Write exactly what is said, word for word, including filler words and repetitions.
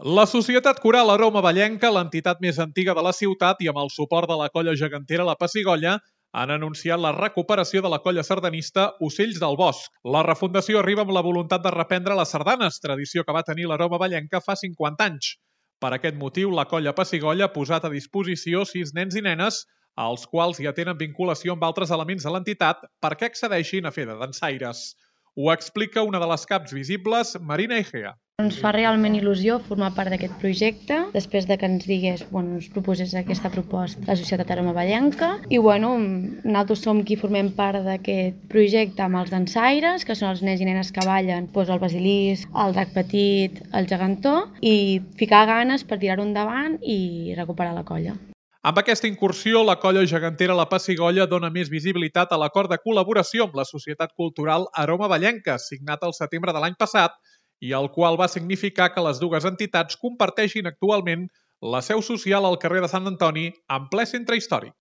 La Societat Coral Aroma Vallenca, l'entitat més antiga de la ciutat i amb el suport de la colla gegantera La Pessigolles, han anunciat la recuperació de la colla sardanista Ocells del Bosc. La refundació arriba amb la voluntat de reprendre les sardanes, tradició que va tenir l'Aroma Vallenca fa cinquanta anys. Per aquest motiu, la colla Pessigolles ha posat a disposició sis nens i nenes, als quals ja tenen vinculació amb altres elements de l'entitat perquè accedeixin a fer de dansaires. Ho explica una de les caps visibles, Marina Egea. Ens fa realment il·lusió formar part d'aquest projecte, després de que ens digués, bueno, ens proposés aquesta proposta la Societat Aroma Vallenca. I bueno, nosaltres som qui formem part d'aquest projecte amb els dansaires, que són els nens i nenes que ballen doncs el basilisc, el drac petit, el gegantó, i ficar ganes per tirar-ho endavant i recuperar la colla. Amb aquesta incursió, la colla gegantera La Pessigolles dona més visibilitat a l'acord de col·laboració amb la Societat Cultural Aroma Vallenca, signat al setembre de l'any passat, i el qual va significar que les dues entitats comparteixin actualment la seu social al carrer de Sant Antoni, en ple centre històric.